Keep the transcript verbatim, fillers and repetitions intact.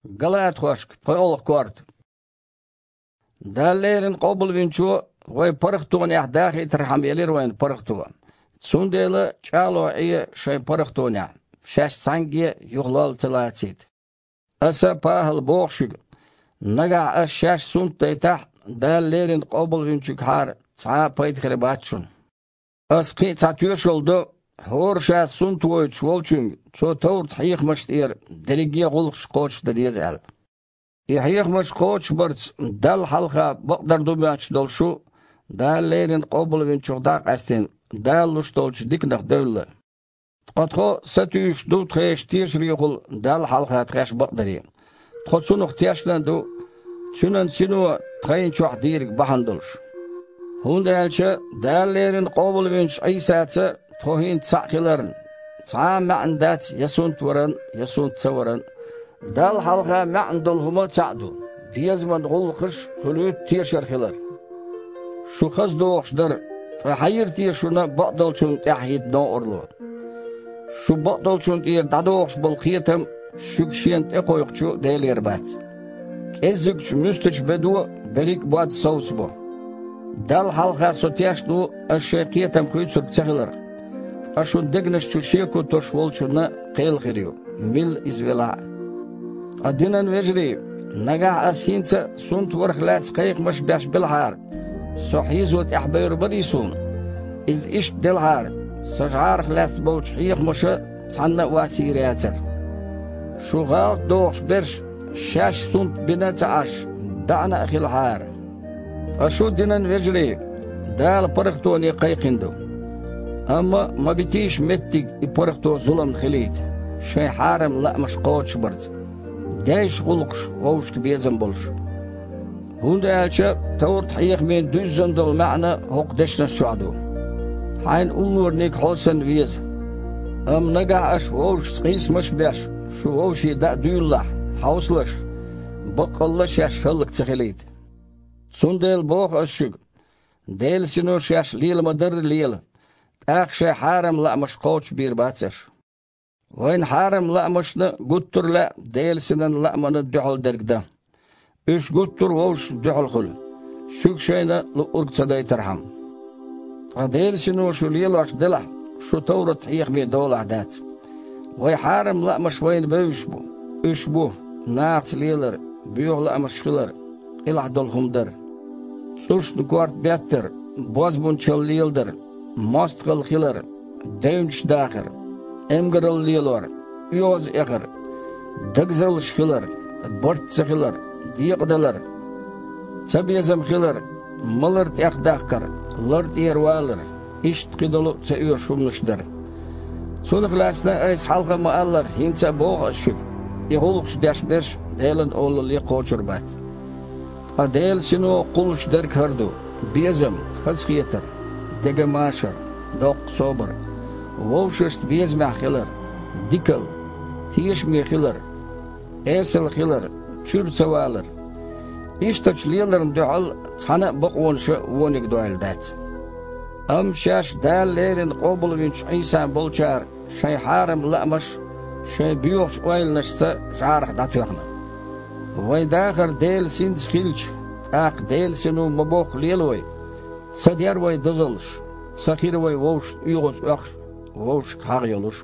Галатхошка, пхоьалгӀа корта. Дала леррина къобалвинчо вай паргӀатонехь дахийтархьама елира вайна паргӀато. Цундела чӀагӀло Ӏе шайн паргӀатонехь, шаьш цхьаьнгге юхалол ца лацийта. Аса, ПахӀала, боху шуьга: нагахь аса шаьш сунтдайтахь, Дала леррина къобалвинчуьгахьара цхьа а пайда хир бац шуна. Аса кхин а цхьа тоьшалла до: хӀора ша сунтвойтуш волчуьнга цо товрат-хьехамашна тӀера дерриге а гӀуллакхаш кхочушдан деза аьлла. И хьехамаш кхочушбарца Далла хьалха бакъдар ду моьттуш долу шу, Дала леррина къобалвинчух дӀа а къаьстина, Дала луш долчу диканах девлла. Ткъа тхо сатуьйсуш ду тхешан тешарехула Далла хьалха тхаьш бакъдаре. Тхо Цунах тешна а ду, Цуьнан Сино тхайна чохь дийриг бахьана долуш. ХӀунда аьлча Дала леррина къобалвинчу Ӏийсаца тхо хӀинца цхьаъ хиларна, цхьа а маьӀна дац я сунтваран, я сунт ца варан. Далла хьалха маьӀна долу хӀума цхьаъ ду: безаман гӀуллакхаш, хуьлуьйту тешар хилар. Шу хаза дохуш дара, ткъа хьан йира те шуна бакъдолчунна тӀаьхьахӀитта новкъарло? Шу бакъдолчунна тӀера дӀадохуш болу кхетам шуьга Шена тӀекхойкхучу Делера бац. КӀеззигчу муьстачу бедо берриг а бод совцабо. Далла хьалха со тешна ву аса шайн кхетам хуьйцург ца хиларх, ткъа шун дегнаш чу шеко тосуш волчунна кхел хир ю, милла иза велахь а. Ткъа, динан вежарий, нагахь аса хӀинца а сунтварх лаьцна кхайкхамаш беш белахьара, со хьийзо тӀаьхьабевр барий суна? Иза иштта делахьара, сан жӀарах лаьцна болчу хьехамаша цхьанна а вас йийр яцара. Шу гӀалат дохуш берш шаьш сунт бина а ца Ӏаш, баьӀна а хилахьара. Ткъа шу, динан вежарий, Дала паргӀатоне кхайкхина ду. Амма ма битийша меттиг и паргӀато зуламна хилийта, шайн хьарам лаамаш кхочушбарца, дайша гӀуллакхаш вовшашка безам болуш. ХӀунда аьлча товрат-хьехамийн дуьззина долу маьӀна хӀокху дешнаш чохь ду: «Хьайн уллораниг хьо санна веза». Амма нагахь аша вовшашца къийсамаш а беш, шу вовшийн даа дуьйлалахь, хьовсалаш, баккъалла а шаьш хӀаллак ца хилийта. Цундела боху аса шуьга: Делан Сино шаьш лела ма-дарра лела, тӀаккха шайн хьарам лаамаш кхочушбийр бац аша. Вайна хьарам лаамашна гуттар а лаьа Делан Синан лааманна дуьхьал дерг дан. Уьш гуттар а вовшашна дуьхьал хуьлу, шуьга шайна луъург ца дайтархьама. Ткъа Делан Сино шу лелош делахь, шу товрат-хьехаме долахь дац. Вайн хьарам лаамаш вайна бевзаш бу. Уьш бу: нахаца лелар, боьха лаамаш хилар, къилахь долу хӀума дар, цӀушна корта беттар, бозбунчалла леладар, мостагӀалла хилар, девнаш дахар, эмгаралла лелор, оьгӀаз эхар, дагазаллаш хилар, барт ца хилар, декъадалар, цабезам хилар, малар тӀехдаккхар, лар тӀера валар, иштта кхидолу а ца оьшу хӀуманаш дар. Цунах лаьцна айса хьалха ма-аллара, хӀинца а боху аса шуьга: и гӀуллакхаш деш берш Делан олалле кхочур бац. Ткъа Делан Сино кхуллуш дерг хӀара ду: безам, хазахетар, деган машар, доккха собар, вовшашца безамехь хилар, дикалла, тешаме хилар, эсала хилар, чуьра ца валар. Ишттачу леларна дуьхьал цхьана а бакъонаша вониг дойла дац. Амма шаьш Дала леррина къобалвинчу Ӏийсан болчара шайн хьарам лаамаш шайн боьхачу ойланашца жӀарах дӀатоьхна. Вайн дахар Делан Синца хилча, тӀаккха Делан Сино ма-бохху лела вай, ца дер вай дозаллаш, ца хир вай вовшашна оьгӀаз оьхуш, вовшашка хьагӀ йолуш.